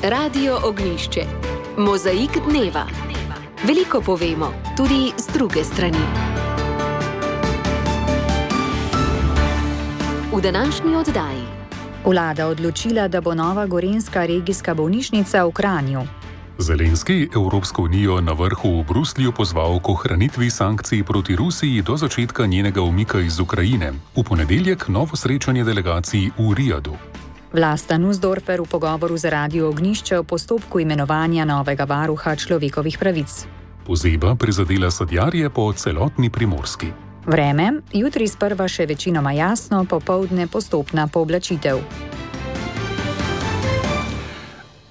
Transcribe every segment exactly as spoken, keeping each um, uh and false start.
Radio Ognjišče. Mozaik dneva. Veliko povemo, tudi z druge strani. V današnji oddaji. Vlada odločila, da bo nova gorenjska regijska bolnišnica v Kranju. Zelenski Evropsko unijo na vrhu v Bruslju pozval k ohranitvi sankcij proti Rusiji do začetka njenega umika iz Ukrajine. V ponedeljek novo srečanje delegacij v Rijadu. Vlasta Nussdorfer v pogovoru za Radio Ognjišče o postopku imenovanja novega varuha človekovih pravic. Pozeba prizadela sadjarje po celotni Primorski. Vreme, jutri sprva še večinoma jasno, popoldne postopna pooblačitev.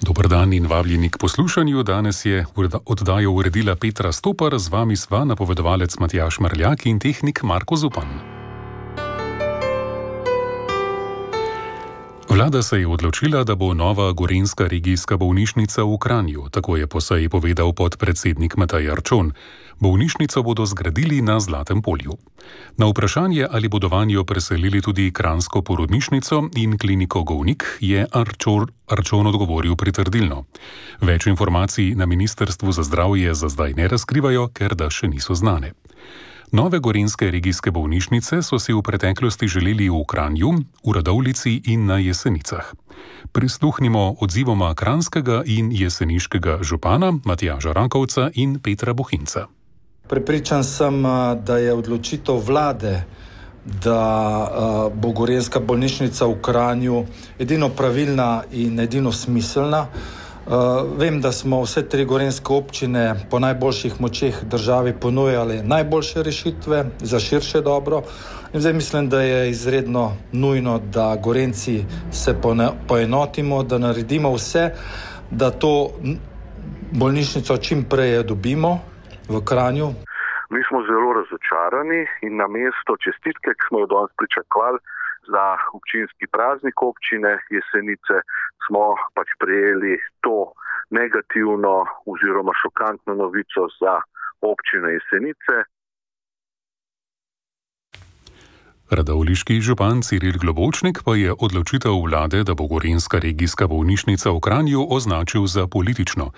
Dober dan in vabljeni k poslušanju. Danes je oddajo uredila Petra Stopar, z vami sva napovedovalec Matjaž Marljak in tehnik Marko Zupan. Vlada se je odločila, da bo nova gorenjska regijska bolnišnica v Kranju, tako je po seji povedal podpredsednik Matej Arčon. Bolnišnico bodo zgradili na Zlatem polju. Na vprašanje, ali bodo vanjo preselili tudi kranjsko porodnišnico in kliniko Govnik, je Arčor, Arčon odgovoril pritrdilno. Več informacij na Ministrstvu za zdravje za zdaj ne razkrivajo, ker da še niso znane. Nove gorenjske regijske bolnišnice so si v preteklosti želeli v Kranju, v Radovljici in na Jesenicah. Prisluhnimo odzivoma kranjskega in jeseniškega župana Matjaža Rakovca in Petra Bohinca. Prepričan sem, da je odločitev vlade, da bo gorenjska bolnišnica v Kranju edino pravilna in edino smiselna. Vem, da smo vse tri gorenjske občine po najboljših močeh državi ponujali najboljše rešitve za širše dobro. In zdaj mislim, da je izredno nujno, da Gorenjci se poenotimo, da naredimo vse, da to bolnišnico čim prej dobimo v Kranju. Mi smo zelo razočarani in na mesto čestitke, ki smo jo danes pričakovali za občinski praznik občine Jesenice, smo pač prejeli to negativno oziroma šokantno novico za občino Jesenice. Radovljiški župan Ciril Globočnik pa je odločitev vlade, da bo gorenjska regijska bolnišnica v Kranju, označil za politično.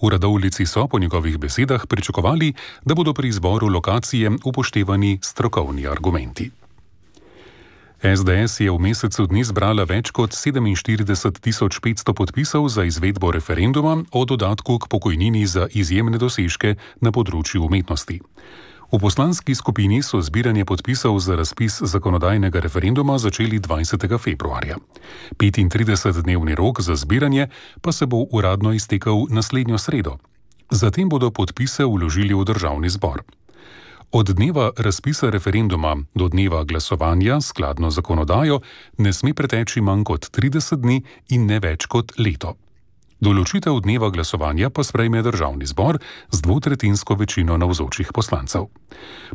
V Radovljici so po njegovih besedah pričakovali, da bodo pri izboru lokacije upoštevani strokovni argumenti. es de es je v mesecu dni zbrala več kot sedeminštirideset tisoč petsto podpisov za izvedbo referenduma o dodatku k pokojnini za izjemne dosežke na področju umetnosti. V poslanski skupini so zbiranje podpisov za razpis zakonodajnega referenduma začeli dvajsetega februarja. petintridesetdnevni rok za zbiranje pa se bo uradno iztekel naslednjo sredo. Zatem bodo podpise vložili v državni zbor. Od dneva razpisa referenduma do dneva glasovanja skladno zakonodajo ne sme preteči manj kot trideset dni in ne več kot leto. Določitev dneva glasovanja pa sprejme državni zbor z dvotretjinsko večino navzočih poslancev.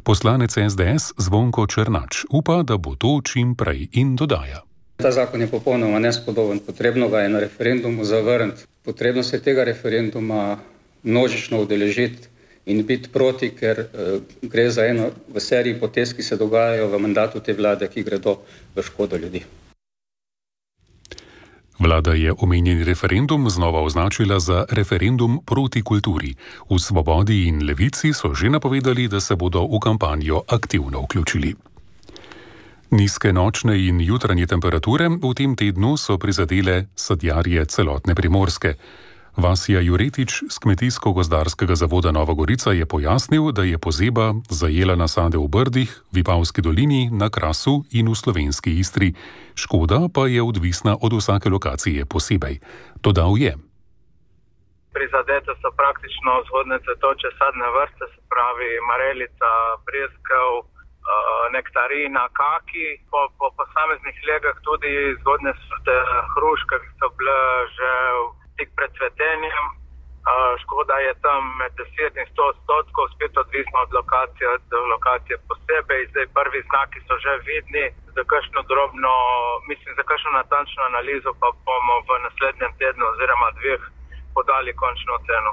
Poslanec es de es Zvonko Černač upa, da bo to čim prej, in dodaja. Ta zakon je popolnoma nespodoben, potrebno ga je na referendumu zavrniti. Potrebno se tega referenduma množično udeležiti in biti proti, ker uh, gre za eno v seriji potez, ki se dogajajo v mandatu te vlade, ki gredo v škodo ljudi. Vlada je omenjeni referendum znova označila za referendum proti kulturi. V Svobodi in Levici so že napovedali, da se bodo v kampanjo aktivno vključili. Nizke nočne in jutranje temperature v tem tednu so prizadele sadjarje celotne Primorske. Vasja Juretič z Kmetijsko-gozdarskega zavoda Nova Gorica je pojasnil, da je pozeba zajela nasade v Brdih, Vipavski dolini, na Krasu in v slovenski Istri. Škoda pa je odvisna od vsake lokacije posebej. Dodal je. Prizadete so praktično vzhodne cvetoče sadne vrste, se pravi marelica, breskev, nektarina, kaki, po, po posameznih legah tudi zgodne sorte hruške, ki so bile že tik pred cvetenjem. Škoda je tam med deset in sto odstotkov, spet odvisno od lokacije, od lokacije posebej. Zdaj prvi znaki so že vidni, za kakšno drobno, mislim, za kakšno natančno analizo pa bomo v naslednjem tednu oziroma dveh podali končno oceno.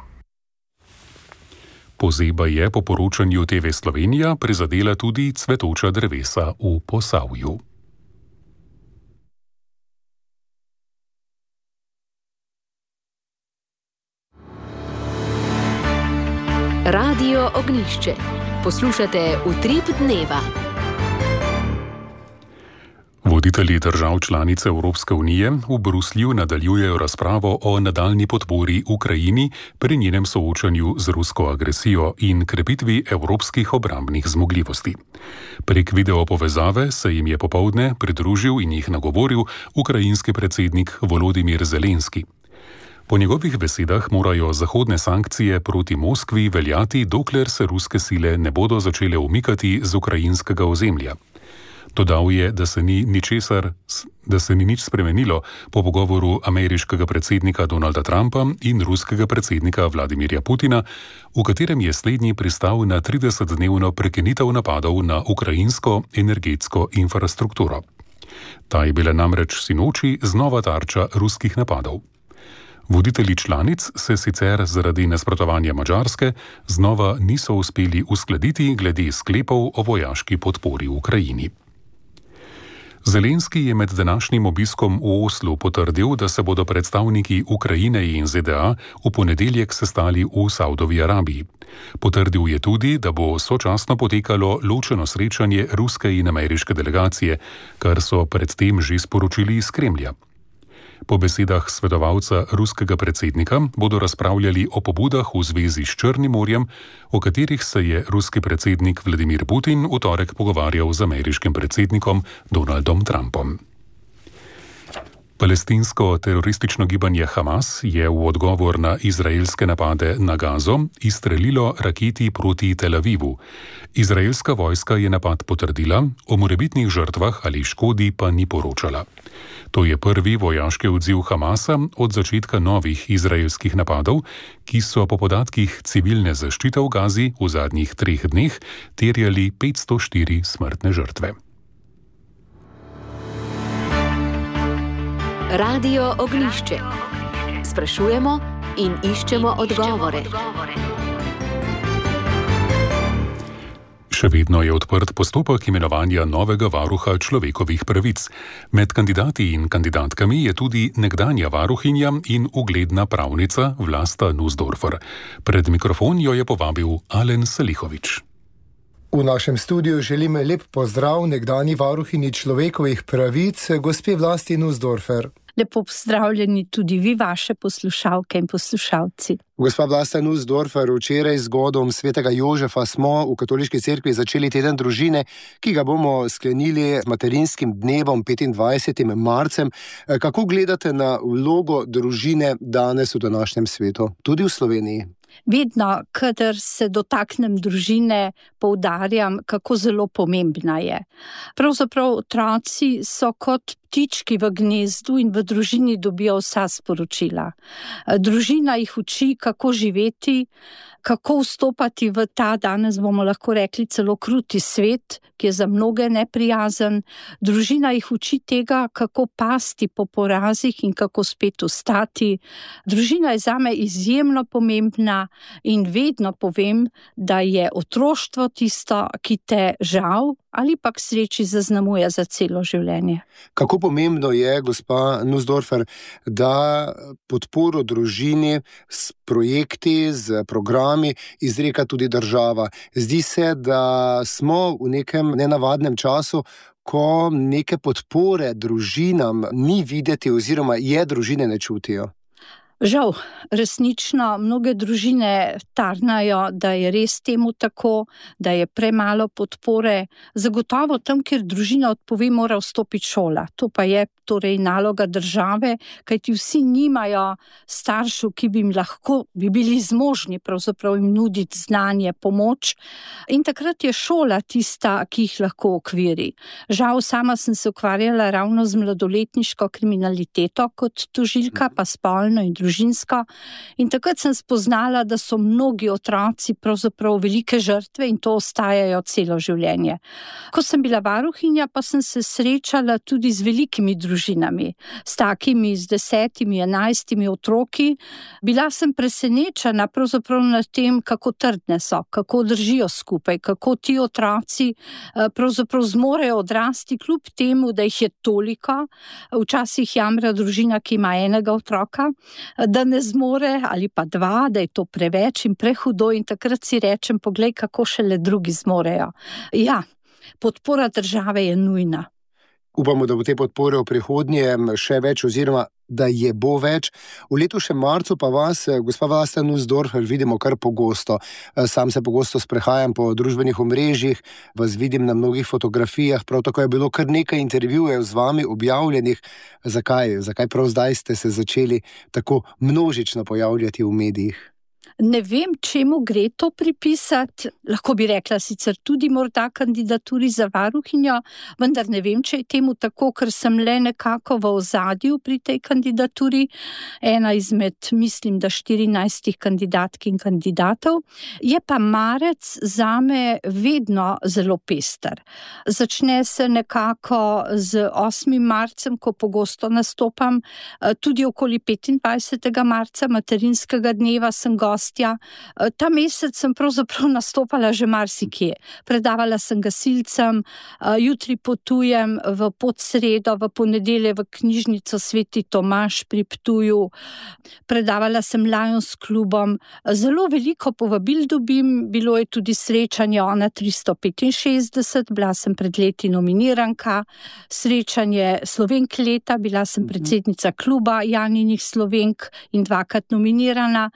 Pozeba je po poročanju te ve Slovenija prizadela tudi cvetoča drevesa v Posavju. Radio Ognišče. Poslušate Utrip dneva. Voditelji držav članic Evropske unije v Bruslju nadaljujejo razpravo o nadaljnji podpori Ukrajini pri njenem soočanju z rusko agresijo in krepitvi evropskih obrambnih zmogljivosti. Prek video povezave se jim je popoldne pridružil in jih nagovoril ukrajinski predsednik Volodimir Zelenski. Po njegovih besedah morajo zahodne sankcije proti Moskvi veljati, dokler se ruske sile ne bodo začele umikati z ukrajinskega ozemlja. Dodal je, da se ni ničesar, da se ni nič spremenilo po pogovoru ameriškega predsednika Donalda Trumpa in ruskega predsednika Vladimirja Putina, v katerem je slednji pristal na tridesetdnevno prekinitev napadov na ukrajinsko energetsko infrastrukturo. Ta je bila namreč sinoči znova tarča ruskih napadov. Voditelji članic se sicer zaradi nasprotovanja Madžarske znova niso uspeli uskladiti glede sklepov o vojaški podpori Ukrajini. Zelenski je med današnjim obiskom v Oslu potrdil, da se bodo predstavniki Ukrajine in Z D A v ponedeljek sestali v Saudovi Arabiji. Potrdil je tudi, da bo sočasno potekalo ločeno srečanje ruske in ameriške delegacije, kar so predtem že sporočili iz Kremlja. Po besedah svetovalca ruskega predsednika bodo razpravljali o pobudah v zvezi s Črnim morjem, o katerih se je ruski predsednik Vladimir Putin v torek pogovarjal z ameriškim predsednikom Donaldom Trumpom. Palestinsko teroristično gibanje Hamas je v odgovor na izraelske napade na Gazo izstrelilo raketi proti Tel Avivu. Izraelska vojska je napad potrdila, o morebitnih žrtvah ali škodi pa ni poročala. To je prvi vojaški odziv Hamasa od začetka novih izraelskih napadov, ki so po podatkih civilne zaščite v Gazi v zadnjih treh dneh terjali petsto štiri smrtne žrtve. Radio Ognišče. Sprašujemo in iščemo odgovore. Še vedno je odprt postopek imenovanja novega varuha človekovih pravic. Med kandidati in kandidatkami je tudi nekdanja varuhinja in ugledna pravnica Vlasta Nussdorfer. Pred mikrofon jo je povabil Alen Selihovič. V našem studiu želim lep pozdrav nekdanji varuhinji človekovih pravic, gospe Vlasti Nussdorfer. Lepo pozdravljeni tudi vi, vaše poslušalke in poslušalci. Gospa Vlasta Nussdorfer, včeraj z godom svetega Jožefa smo v Katoliški cerkvi začeli teden družine, ki ga bomo sklenili z materinskim dnevom petindvajsetim marcem. Kako gledate na vlogo družine danes v današnjem svetu, tudi v Sloveniji? Vedno, kadar se dotaknem družine, poudarjam, kako zelo pomembna je. Pravzaprav otroci so kot ptički v gnezdu in v družini dobijo vsa sporočila. Družina jih uči, kako živeti, kako vstopati v ta, danes bomo lahko rekli, celo kruti svet, ki je za mnoge neprijazen. Družina jih uči tega, kako pasti po porazih in kako spet vstati. Družina je zame izjemno pomembna in vedno povem, da je otroštvo tisto, ki te žal ali pa k sreči zaznamuje za celo življenje. Kako pomembno je, gospa Nussdorfer, da podporo družini s projekti, z programi izreka tudi država. Zdi se, da smo v nekem nenavadnem času, ko neke podpore družinam ni videti oziroma je družine ne čutijo. Žal, resnično, mnoge družine tarnajo, da je res temu tako, da je premalo podpore. Zagotovo tam, kjer družina odpove, mora vstopiti šola. To pa je torej naloga države, kajti vsi nimajo staršev, ki bi jim lahko, bi bili zmožni pravzaprav jim nuditi znanje, pomoč. In takrat je šola tista, ki jih lahko okviri. Žal, sama sem se ukvarjala ravno z mladoletniško kriminaliteto kot tožilka, pa spolno in družinsko. In takrat sem spoznala, da so mnogi otroci pravzaprav velike žrtve in to ostajajo celo življenje. Ko sem bila varuhinja, pa sem se srečala tudi z velikimi družinami, s takimi, z desetimi, enajstimi otroki. Bila sem presenečena pravzaprav nad tem, kako trdne so, kako držijo skupaj, kako ti otroci pravzaprav zmorejo odrasti kljub temu, da jih je toliko. Včasih jamra družina, ki ima enega otroka. da ne zmore, ali pa dva, da je to preveč in prehudo, in takrat si rečem, poglej, kako šele drugi zmorejo. Ja, podpora države je nujna. Upamo, da bo te podpore v prihodnje še več oziroma da je bo več. V letošnjem marcu pa vas, gospa Vlasta Nussdorfer, vidimo kar pogosto. Sam se pogosto sprehajam po družbenih omrežjih, vas vidim na mnogih fotografijah, prav tako je bilo kar nekaj intervjujev z vami objavljenih. Zakaj? Zakaj prav zdaj ste se začeli tako množično pojavljati v medijih? Ne vem, čemu gre to pripisati, lahko bi rekla sicer tudi morda kandidaturi za varuhinjo, vendar ne vem, če je temu tako, ker sem le nekako v ozadju pri tej kandidaturi, ena izmed, mislim, da štirinajstih kandidatk in kandidatov. Je pa marec zame vedno zelo pester. Začne se nekako z osmim marcem, ko pogosto nastopam, tudi okoli petindvajsetega marca, materinskega dneva, sem gost. Ta mesec sem pravzaprav nastopala že marsikje. Predavala sem gasilcem, jutri potujem v Podsredo, v ponedelje v knjižnico Sveti Tomaž pri Ptuju. Predavala sem Lions klubom. Zelo veliko povabil dobim, bilo je tudi srečanje Ona tristo petinšestdeset, bila sem pred leti nominiranka, srečanje Slovenk leta, bila sem predsednica kluba Janinih Slovenk in dvakrat nominirana.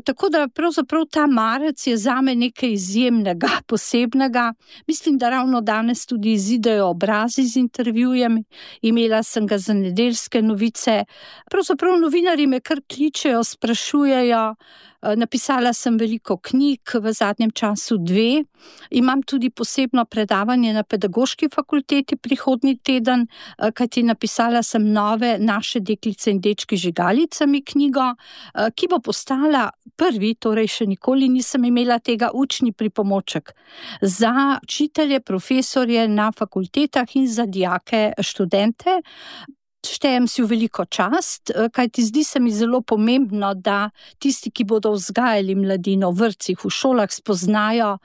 Tako da pravzaprav ta marec je zame nekaj izjemnega, posebnega. Mislim, da ravno danes tudi izidejo obrazi z intervjujem. Imela sem ga za Nedeljske novice. Pravzaprav novinarji me kar kličejo, sprašujejo. Napisala sem veliko knjig, v zadnjem času dve. Imam tudi posebno predavanje na Pedagoški fakulteti prihodnji teden, kajti napisala sem Nove naše deklice in dečki žigalicami knjigo, ki bo postala prvi, torej še nikoli nisem imela tega, učni pripomoček za učitelje, profesorje na fakultetah in za dijake, študente. Štejem si v veliko čast, kajti zdi se mi zelo pomembno, da tisti, ki bodo vzgajali mladino v vrtcih, v šolah, spoznajo,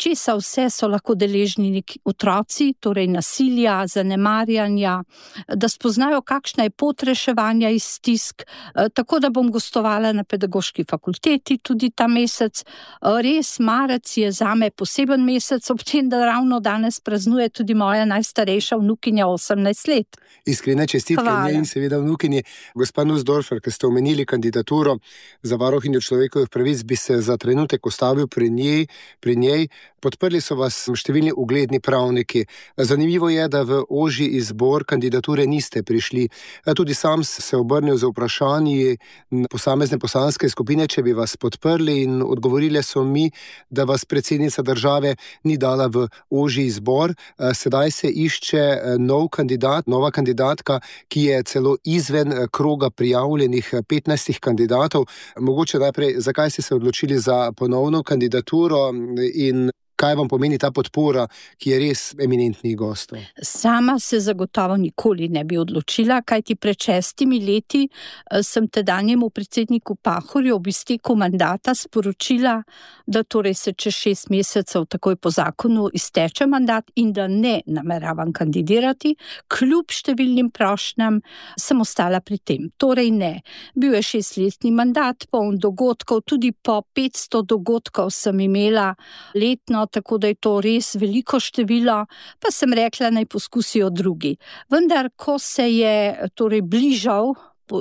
česa vse so lahko deležni neki otroci, torej nasilja, zanemarjanja, da spoznajo, kakšna je pot reševanja iz stisk. Tako da bom gostovala na Pedagoški fakulteti tudi ta mesec. Res, marec je zame poseben mesec, ob tem, da ravno danes praznuje tudi moja najstarejša vnukinja osemnajst let. Iskrene čestitke njej in seveda vnukinji. Gospa Nussdorfer, ki ste omenili kandidaturo za varuhinjo človekovih pravic, bi se za trenutek ustavil pri njej, pri njej. Podprli so vas številni ugledni pravniki. Zanimivo je, da v ožji izbor kandidature niste prišli. Tudi sam se obrnil z vprašanji posamezne poslanske skupine, če bi vas podprli, in odgovorile so mi, da vas predsednica države ni dala v ožji izbor. Sedaj se išče nov kandidat, nova kandidatka, ki je celo izven kroga prijavljenih petnajstih kandidatov. Mogoče najprej, zakaj ste se odločili za ponovno kandidaturo in kaj vam pomeni ta podpora, ki je res eminentnih gostov? Sama se zagotovo nikoli ne bi odločila, kajti pred šestimi leti sem tedanjemu predsedniku Pahorju ob izteku mandata sporočila, da torej se čez šest mesecev takoj po zakonu izteče mandat in da ne nameravam kandidirati. Kljub številnim prošnjam sem ostala pri tem. Torej ne. Bil je šestletni mandat, poln dogodkov, tudi po petsto dogodkov sem imela letno, tako da je to res veliko število, pa sem rekla, naj poskusijo drugi. Vendar, ko se je torej bližal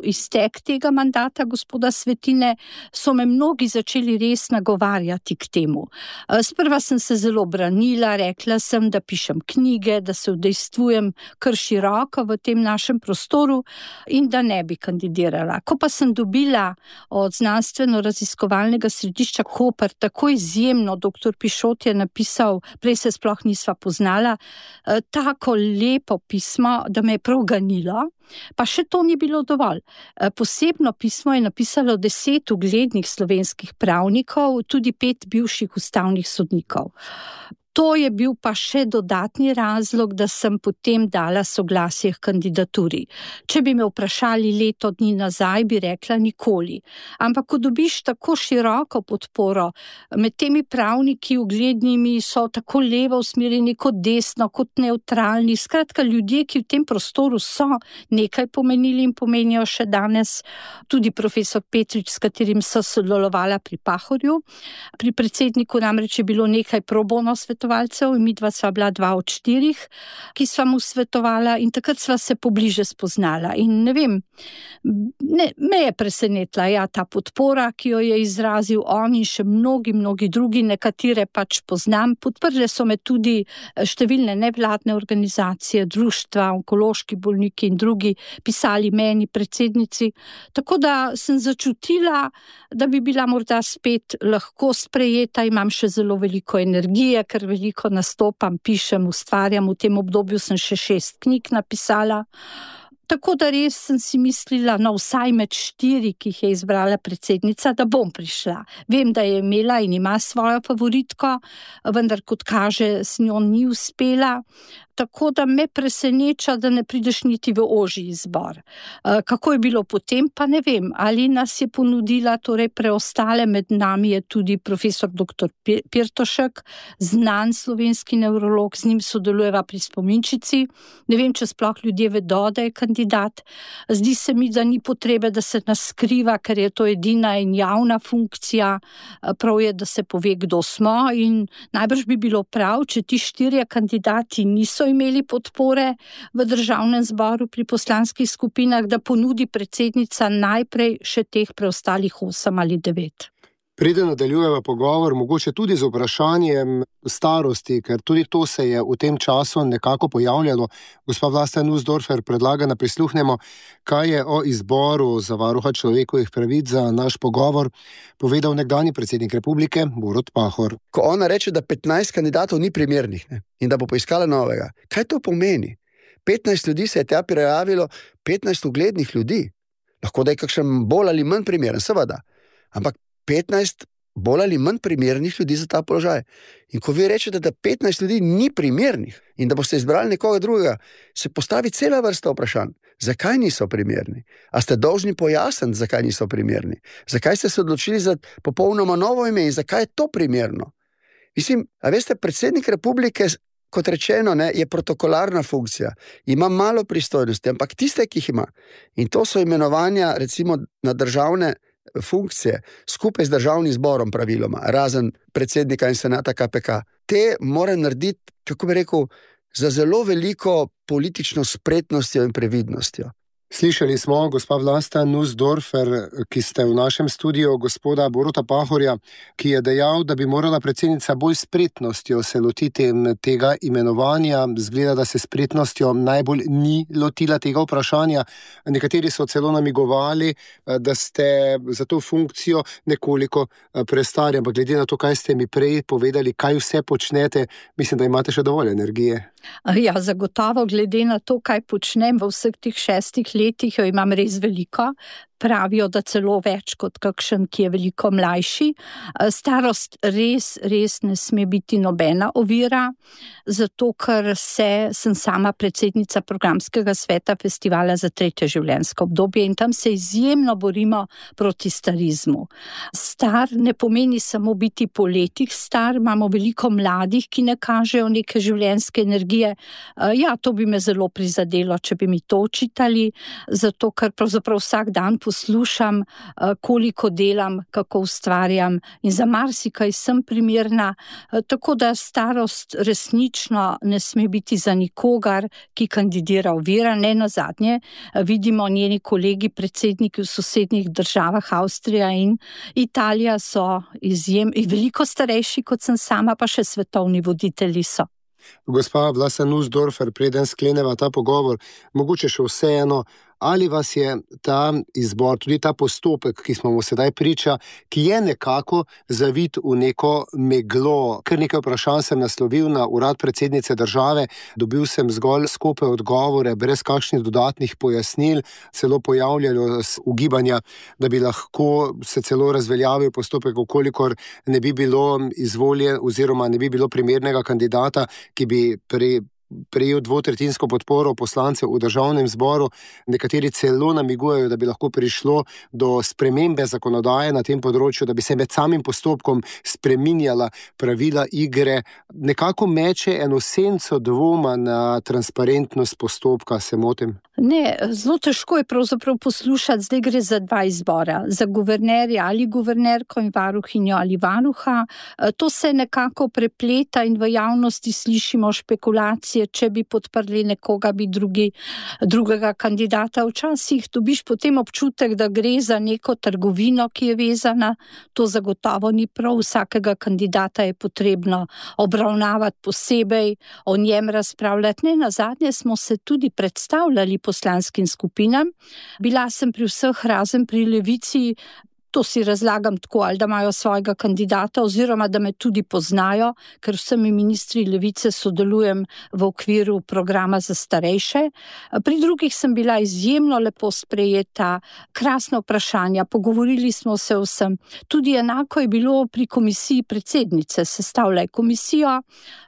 iztek tega mandata gospoda Svetine, so me mnogi začeli res nagovarjati k temu. Sprva sem se zelo branila, rekla sem, da pišem knjige, da se udejstvujem kar široko v tem našem prostoru in da ne bi kandidirala. Ko pa sem dobila od znanstveno-raziskovalnega središča Koper tako izjemno, doktor Pišot je napisal, prej se sploh nisva poznala, tako lepo pismo, da me je prav ganilo, pa še to ni bilo dovolj. Posebno pismo je napisalo deset uglednih slovenskih pravnikov, tudi pet bivših ustavnih sodnikov. To je bil pa še dodatni razlog, da sem potem dala soglasje k kandidaturi. Če bi me vprašali leto dni nazaj, bi rekla nikoli. Ampak ko dobiš tako široko podporo, med temi pravniki uglednimi so tako levo usmerjeni kot desno, kot neutralni, skratka ljudje, ki v tem prostoru so nekaj pomenili in pomenijo še danes, tudi profesor Petrič, s katerim so sodelovala pri Pahorju. Pri predsedniku namreč je bilo nekaj pro bono svetovalcev in midva sva bila dva od štirih, ki sva mu svetovala in takrat sva se pobliže spoznala. In ne vem, ne, me je presenetila ja, ta podpora, ki jo je izrazil on in še mnogi, mnogi drugi, nekatere pač poznam. Podprle so me tudi številne nevladne organizacije, društva, onkološki bolniki in drugi, pisali meni, predsednici. Tako da sem začutila, da bi bila morda spet lahko sprejeta, imam še zelo veliko energije, ker veliko nastopam, pišem, ustvarjam, v tem obdobju sem še šest knjig napisala. Tako da res sem si mislila, no vsaj med štiri, ki jih je izbrala predsednica, da bom prišla. Vem, da je imela in ima svojo favoritko, vendar kot kaže, s njo ni uspela. Tako da me preseneča, da ne prideš niti v ožji izbor. Kako je bilo potem, pa ne vem. Ali nas je ponudila, torej preostale, med nami je tudi profesor doktor Pirtošek, znan slovenski nevrolog, z njim sodelujeva pri spominčici. Ne vem, če sploh ljudje vedo, da je kandidat. Zdi se mi, da ni potrebe, da se nas skriva, ker je to edina in javna funkcija. Prav je, da se pove, kdo smo in najbrž bi bilo prav, če ti štirje kandidati niso imeli podpore v državnem zboru pri poslanskih skupinah, da ponudi predsednica najprej še teh preostalih osem ali devet. Preden nadaljujeva pogovor, mogoče tudi z vprašanjem starosti, ker tudi to se je v tem času nekako pojavljalo. Gospa Vlasta Nussdorfer predlaga, da prisluhnemo, kaj je o izboru za varuha človekovih pravic za naš pogovor povedal nekdanji predsednik republike Borut Pahor. Ko ona reče, da petnajst kandidatov ni primernih, ne, in da bo poiskala novega, kaj to pomeni? petnajst ljudi se je tja prijavilo, petnajst uglednih ljudi. Lahko da je kakšen bolj ali manj primeren, seveda. Ampak petnajst bolj ali manj primernih ljudi za ta položaj. In ko vi rečete, da petnajst ljudi ni primernih in da boste izbrali nekoga drugega, se postavi cela vrsta vprašanj. Zakaj niso primerni? A ste dolžni pojasniti, zakaj niso primerni? Zakaj ste se odločili za popolnoma novo ime in zakaj je to primerno? Mislim, a veste, predsednik republike, kot rečeno, ne, je protokolarna funkcija. Ima malo pristojnosti, ampak tiste, ki jih ima. In to so imenovanja, recimo, na državne funkcije, skupaj z državnim zborom praviloma, razen predsednika in senata K P K. Te mora narediti, kako bi rekel, za zelo veliko politično spretnostjo in previdnostjo. Slišali smo gospa Vlasta Nussdorfer, ki ste v našem studiu, gospoda Boruta Pahorja, ki je dejal, da bi morala predsednica bolj spretnostjo se lotiti tega imenovanja. Zgleda, da se spretnostjo najbolj ni lotila tega vprašanja. Nekateri so celo namigovali, da ste za to funkcijo nekoliko prestari, ampak glede na to, kaj ste mi prej povedali, kaj vse počnete, mislim, da imate še dovolj energije. Ja, zagotovo glede na to, kaj počnem v vseh teh šestih letih, jo imam res veliko. Pravijo, da celo več kot kakšen, ki je veliko mlajši. Starost res, res ne sme biti nobena ovira, zato ker se, sem sama predsednica programskega sveta festivala za tretje življenjsko obdobje in tam se izjemno borimo proti starizmu. Star ne pomeni samo biti po letih star, imamo veliko mladih, ki ne kažejo neke življenjske energije. Ja, to bi me zelo prizadelo, če bi mi to očitali, zato ker pravzaprav vsak dan poslušam, koliko delam, kako ustvarjam in za marsikaj sem primerna, tako da starost resnično ne sme biti za nikogar, ki kandidira ovira. Ne nazadnje vidimo, njeni kolegi predsedniki v sosednjih državah, Avstrija in Italija, so izjem, veliko starejši kot sem sama, pa še svetovni voditelji so. Gospa Vlasta Nussdorfer, preden skleneva ta pogovor, mogoče še vseeno, ali vas je ta izbor, tudi ta postopek, ki smo mu sedaj priča, ki je nekako zavit v neko meglo. Kar nekaj vprašanj sem naslovil na urad predsednice države, dobil sem zgolj skope odgovore, brez kakšnih dodatnih pojasnil, celo pojavljajo ugibanja, da bi lahko se celo razveljavil postopek, ukolikor ne bi bilo izvoljen oziroma ne bi bilo primernega kandidata, ki bi pri prejel dvotretjinsko podporo poslancev v državnem zboru. Nekateri celo namigujejo, da bi lahko prišlo do spremembe zakonodaje na tem področju, da bi se med samim postopkom spreminjala pravila igre. Nekako meče eno senco dvoma na transparentnost postopka, se motim? Ne, zelo težko je pravzaprav poslušati, zdaj gre za dva izbora, za guvernerja ali guvernerko in varuhinjo ali varuha. To se nekako prepleta in v javnosti slišimo špekulacije, če bi podprli nekoga, bi drugi, drugega kandidata. Včasih dobiš potem občutek, da gre za neko trgovino, ki je vezana. To zagotovo ni prav. Vsakega kandidata je potrebno obravnavati posebej, o njem razpravljati. Ne, nazadnje smo se tudi predstavljali poslanskim skupinam. Bila sem pri vseh, razen pri Levici. To si razlagam tako, ali da imajo svojega kandidata oziroma da me tudi poznajo, ker vsemi ministri Levice sodelujem v okviru programa za starejše. Pri drugih sem bila izjemno lepo sprejeta, krasna vprašanja, pogovorili smo se vsem. Tudi enako je bilo pri komisiji predsednice, sestavlja komisijo,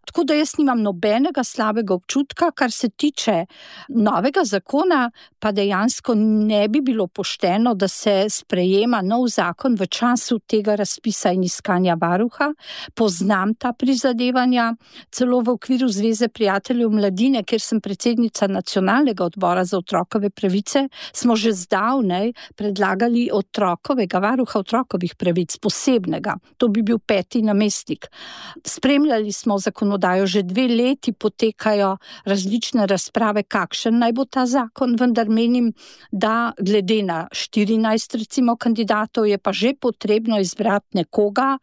tako da jaz nimam nobenega slabega občutka. Kar se tiče novega zakona, pa dejansko ne bi bilo pošteno, da se sprejema nov zakon v času tega razpisa in iskanja varuha. Poznam ta prizadevanja, celo v okviru Zveze prijateljev mladine, kjer sem predsednica nacionalnega odbora za otrokove pravice, smo že zdavnej predlagali otrokovega varuha otrokovih pravic, posebnega. To bi bil peti namestnik. Spremljali smo zakonodajo, že dve leti potekajo različne razprave, kakšen naj bo ta zakon, vendar menim, da glede na štirinajst recimo kandidatov je pa že potrebno izbrati nekoga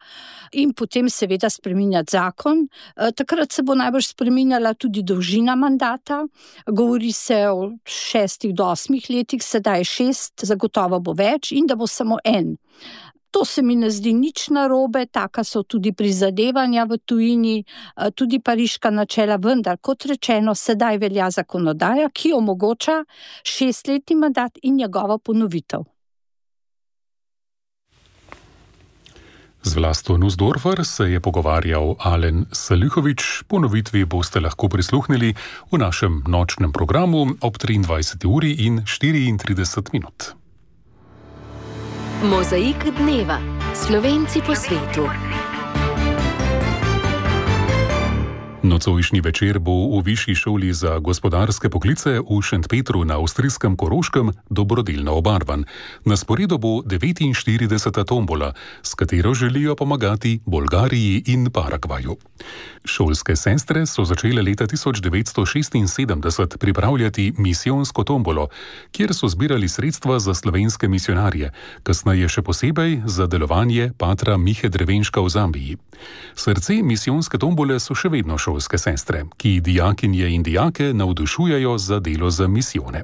in potem seveda spreminjati zakon. Takrat se bo najbolj spreminjala tudi dolžina mandata. Govori se o šestih do osmih letih, sedaj šest, zagotovo bo več in da bo samo en. To se mi ne zdi nič narobe, taka so tudi prizadevanja v tujini, tudi pariška načela, vendar, kot rečeno, sedaj velja zakonodaja, ki omogoča šestletni mandat in njegovo ponovitev. Z Vlasto Nussdorfer se je pogovarjal Alen Salihović. Ponovitvi boste lahko prisluhnili v našem nočnem programu ob triindvajseti uri in štiriintrideset minut. Mozaik dneva. Slovenci po svetu. Nocojšnji večer bo v Višji šoli za gospodarske poklice v Šentpetru na avstrijskem Koroškem dobrodelno obarvan. Na sporedu bo devetinštirideseta tombola, s katero želijo pomagati Bolgariji in Paragvaju. Šolske sestre so začele leta tisoč devetsto šestinsedemdeset pripravljati misijonsko tombolo, kjer so zbirali sredstva za slovenske misionarje, kasneje še posebej za delovanje patra Mihe Drevenška v Zambiji. Srce misijonske tombole so še vedno šolske sestre, ki dijakinje in dijake navdušujejo za delo za misijone.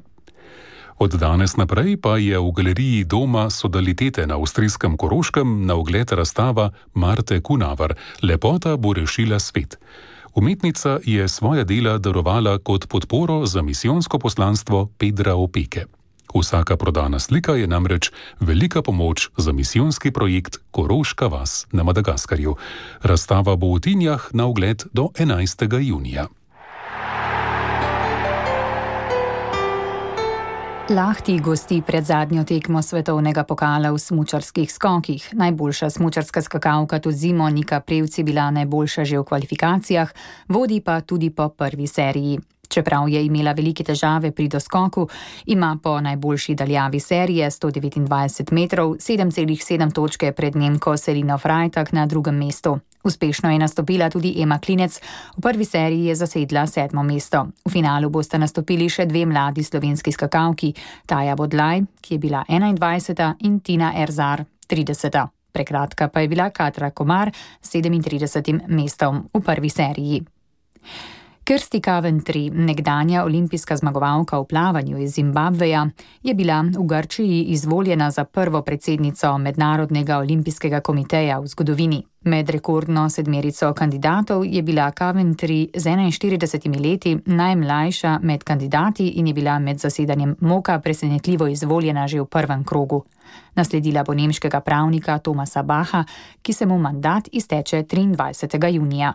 Od danes naprej pa je v galeriji Doma Sodalitete na avstrijskem Koroškem na ogled razstava Marte Kunavar Lepota bo rešila svet. Umetnica je svoja dela darovala kot podporo za misijonsko poslanstvo Pedra Opeke. Vsaka prodana slika je namreč velika pomoč za misijonski projekt Koroška vas na Madagaskarju. Razstava bo v Tinjah na ogled do enajstega junija. Lahti gosti pred zadnjo tekmo svetovnega pokala v smučarskih skokih. Najboljša smučarska skakalka to zimo Nika Prevc je bila najboljša že v kvalifikacijah, vodi pa tudi po prvi seriji. Čeprav je imela velike težave pri doskoku, ima po najboljši daljavi serije sto devetindvajset metrov sedem celih sedem točke pred Nemko Selino Freitag na drugem mestu. Uspešno je nastopila tudi Ema Klinec, v prvi seriji je zasedla sedmo mesto. V finalu bosta nastopili še dve mladi slovenski skakalki, Taja Bodlaj, ki je bila enaindvajseta in Tina Erzar, trideseta. Prekratka pa je bila Katra Komar s sedemintridesetim mestom v prvi seriji. Kirsty Coventry, nekdanja olimpijska zmagovalka v plavanju iz Zimbabveja, je bila v Grčiji izvoljena za prvo predsednico Mednarodnega olimpijskega komiteja v zgodovini. Med rekordno sedmerico kandidatov je bila Coventry z enainštiridesetimi leti najmlajša med kandidati in je bila med zasedanjem moka presenetljivo izvoljena že v prvem krogu. Nasledila bo nemškega pravnika Thomasa Bacha, ki se mu mandat izteče triindvajsetega junija.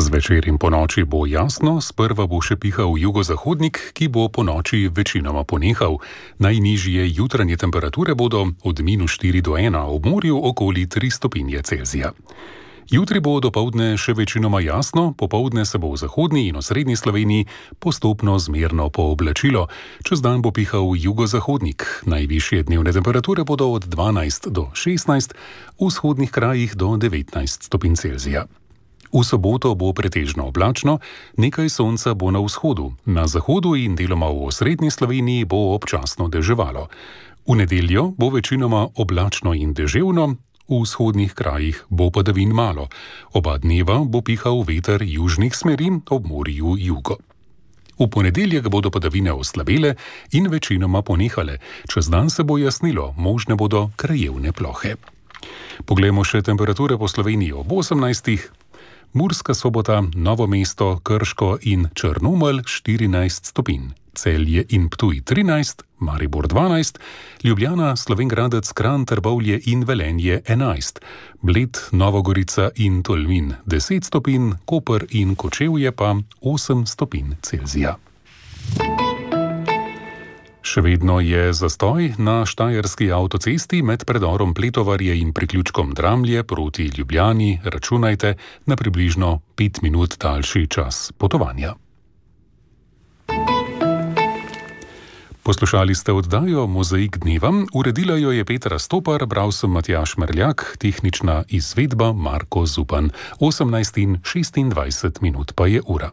Zvečer in po noči bo jasno, sprva bo še pihal jugozahodnik, ki bo po noči večinoma ponehal. Najnižje jutranje temperature bodo od minus štiri do ena, ob morju okoli tri stopinje Celzija. Jutri bo dopoldne še večinoma jasno, popoldne se bo v zahodni in osrednji Sloveniji postopno zmerno pooblačilo. Čez dan bo pihal jugozahodnik. Najvišje dnevne temperature bodo od dvanajst do šestnajst, v vzhodnih krajih do devetnajst stopinj Celzija. V soboto bo pretežno oblačno, nekaj sonca bo na vzhodu, na zahodu in deloma v osrednji Sloveniji bo občasno deževalo. V nedeljo bo večinoma oblačno in deževno, v vzhodnih krajih bo padavin malo. Oba dneva bo pihal veter južnih smeri, ob morju jugo. V ponedeljek bodo padavine oslabele in večinoma ponehale. Čez dan se bo jasnilo, možne bodo krajevne plohe. Poglejmo še temperature po Sloveniji ob osemnajstih. Murska Sobota, Novo mesto, Krško in Črnomelj štirinajst stopinj, Celje in Ptuj trinajst, Maribor dvanajst, Ljubljana, Slovenj Gradec, Kranj, Trbovlje in Velenje enajst, Bled, Novogorica in Tolmin deset stopinj, Koper in Kočevje pa osem stopinj Celzija. Še vedno je zastoj na štajerski avtocesti med predorom Pletovarje in priključkom Dramlje proti Ljubljani, računajte na približno pet minut daljši čas potovanja. Poslušali ste oddajo Mozaik dneva, uredila jo je Petra Stopar, bral sem Matjaž Merljak, tehnična izvedba Marko Zupan. osemnajst in šestindvajset minut pa je ura.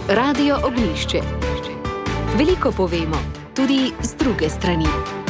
Radio Ognjišče. Veliko povemo, tudi z druge strani.